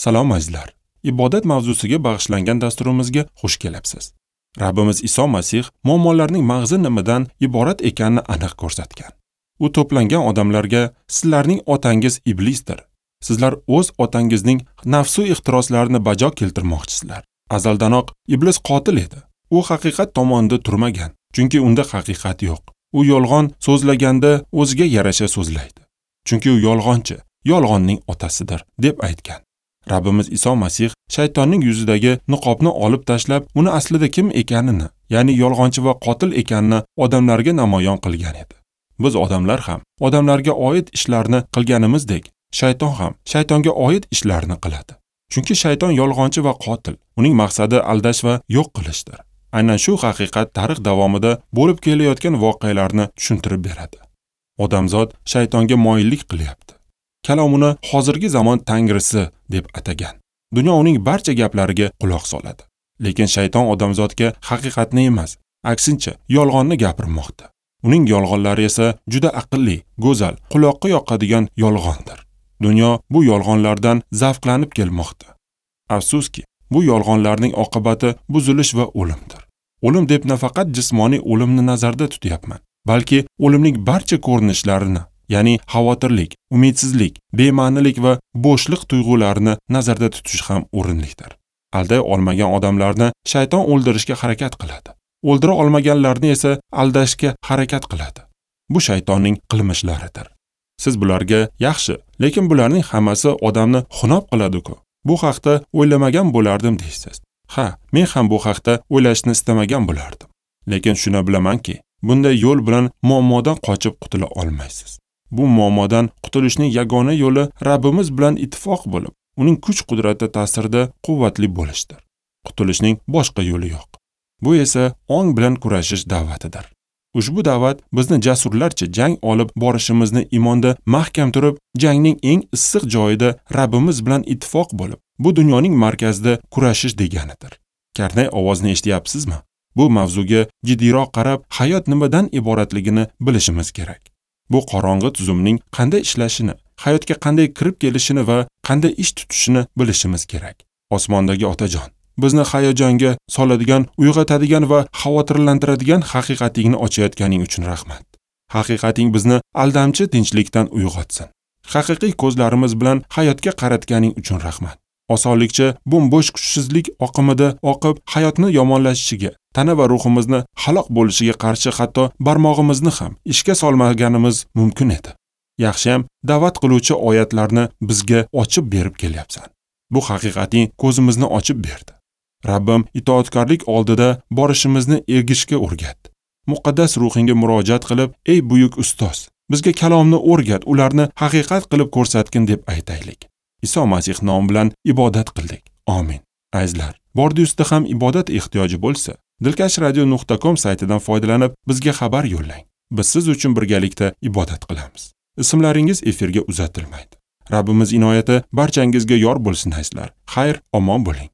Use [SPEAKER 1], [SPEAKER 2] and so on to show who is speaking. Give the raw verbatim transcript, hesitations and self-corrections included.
[SPEAKER 1] Salom azizlar. Ibodat mavzusiga bag'ishlangan dasturimizga xush kelibsiz. Rabbimiz Iso Masih muammolarning mag'zi nimadan iborat ekanini aniq ko'rsatgan. U to'plangan odamlarga sizlarning otangiz iblisdir. Sizlar o'z otangizning nafsu ehtiroslarini bajo keltirmoqchisizlar. Azaldanoq iblis qotil edi. U haqiqat tomonida turmagan, chunki unda haqiqat yo'q. U yolg'on so'zlaganda o'ziga yarasha so'zlaydi. Chunki u yolg'onchi, yolg'onning otasidir, deb aytgan. Rabbimiz Iso Masih shaytonning yuzidagi niqobni olib tashlab, uni aslida kim ekanini, ya'ni yolg'onchi va qotil ekanini odamlarga namoyon qilgan edi. Biz odamlar ham odamlarga oid ishlarni qilganimizdek, shayton ham shaytonga oid ishlarni qiladi. Chunki shayton yolg'onchi va qotil, uning maqsadi aldash va yo'q qilishdir. Aynan shu haqiqat tarix davomida bo'lib kelayotgan voqealarni tushuntirib beradi. Odamzod shaytonga moyillik qilyapti. Kalom uni hozirgi zamon tangrisi deb atagan. Dunyo uning barcha gaplariga quloq soladi. Lekin shayton odamzodga haqiqatni emas, aksincha yolg'onni gapirmoqda. Uning yolg'onlari esa juda aqlli, go'zal, quloqqa yoqadigan yolg'ondir. Dunyo bu yolg'onlardan zavqlanib kelmoqda. Afsuski, bu yolg'onlarning oqibati buzilish va o'limdir. O'lim deb nafaqat jismoniy o'limni nazarda tutyapman, balki o'limning barcha ko'rinishlarini, ya'ni xavotirlik, umidsizlik, bema'nilik va bo'shliq tuyg'ularini nazarda tutish ham o'rinlidir. Alday olmagan odamlarni shayton o'ldirishga harakat qiladi. O'ldira olmaganlarni esa aldashga harakat qiladi. Bu shaytonning qilmishlaridir. Siz bularga yaxshi, lekin bularning hammasi odamni xunob qiladi-ku. Bu haqda o'ylamagan bo'lardim deysiz. Ha, men ham bu haqda o'ylashni istamagan bo'lardim. Lekin shuni bilamanki, bunday yo'l bilan muammodan qochib qutula olmaysiz. Bu muammodan qutulishning yagona yo'li Rabbimiz bilan ittifoq bo'lib, uning kuch-qudrati ta'sirida quvvatli bo'lishdir. Qutulishning boshqa yo'li yo'q. Bu esa ong bilan kurashish da'vatidir. Ushbu da'vat bizni jasurlarcha jang olib borishimizni iymonda mahkam turib, jangning eng issiq joyida Rabbimiz bilan ittifoq bo'lib, bu dunyoning markazida kurashish deganidir. Karnay ovozini eshityapsizmi? Bu mavzuga jiddiyroq qarab, hayot nimadan iboratligini bilishimiz kerak. Bu qorong'i tuzumning qanday ishlashini, hayotga qanday kirib kelishini va qanday ish tutishini bilishimiz kerak. Osmondagi Otajon, bizni hayajonga soladigan, uyg'otadigan va xavotirlantiradigan haqiqatingni ochayotganing uchun rahmat. Haqiqating bizni aldamchi tinchlikdan uyg'otsin. Haqiqiy ko'zlarimiz bilan hayotga qaratganing uchun rahmat. Osonlikcha bo'm-bo'sh kuchsizlik oqimida oqib, hayotni yomonlashishiga, tana va ruhimizni halok bo'lishiga qarshi hatto barmog'imizni ham ishga solmaganimiz mumkin edi. Yaxshiyam da'vat qiluvchi oyatlarni bizga ochib berib kelyapsan. Bu haqiqating ko'zimizni ochib berdi. Rabbim itoatkorlik oldida borishimizni ergishga o'rgat. Muqaddas ruhingga murojaat qilib, ey buyuk ustoz, bizga kalomni o'rgat, ularni haqiqat qilib ko'rsatgin deb aytaylik. Iso Masih nomi bilan ibodat qildik. Amin. Azizlar, bordi-ustida ham ibodat ehtiyoji bo'lsa, dilkash radio nuqta com saytidan foydalanib bizga xabar yo'llang. Biz siz uchun birgalikda ibodat qilamiz. Ismlaringiz efirga uzatilmaydi. Rabbimiz inoyati barchangizga yor bo'lsin azizlar. Xayr, omon bo'ling.